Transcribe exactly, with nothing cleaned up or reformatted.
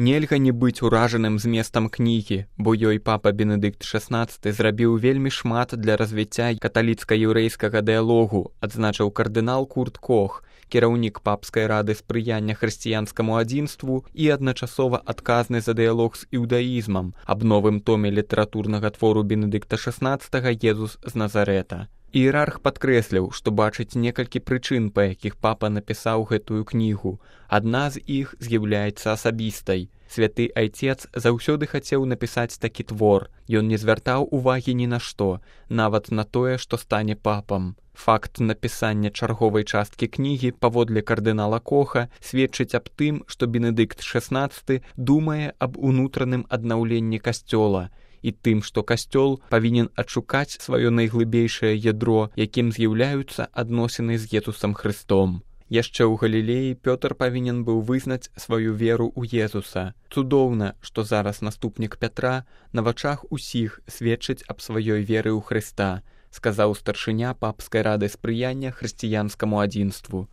Нельга не быць уражаным зместам кнігі, бо ёй папа Бенедыкт шаснаццаты зрабіў вельмі шмат для развіцця каталіцка-яўрэйскага дыялогу, адзначыў кардынал Курт Кох, кіраўнік папскай рады спрыяння хрысціянскаму адзінству і адначасова адказны за дыялог з іўдаізмам аб новым томе літаратурнага твору Бенедыкта шаснаццатага «Езус з Назарэта». Іерарх падкрэсліў, што бачыць некалькі прычын, па якіх папа напісаў гэтую кнігу. Адна з іх з'яўляецца асабістай. Святы айцец заўсёды хацеў напісаць такі твор. Ён не звяртаў увагі ні на што, нават на тое, што стане папам. Факт напісання чарговай часткі кнігі, паводле кардынала Коха, сведчыць аб тым, што Бенедыкт шаснаццаты думае аб унутраным аднаўленні касцёла і тым, што касцёл павінен адшукаць сваё найглыбейшае ядро, якім з'яўляюцца адносіны з Езусам Хрыстом. Яшчэ ў Галілеі Пётр павінен быў вызнаць сваю веру ў Езуса. Цудоўна, што зараз наступнік Пятра на вачах усіх сведчыць аб сваёй веры ў Хрыста, сказаў старшыня папскай рады спрыяння хрысціянскаму адзінству.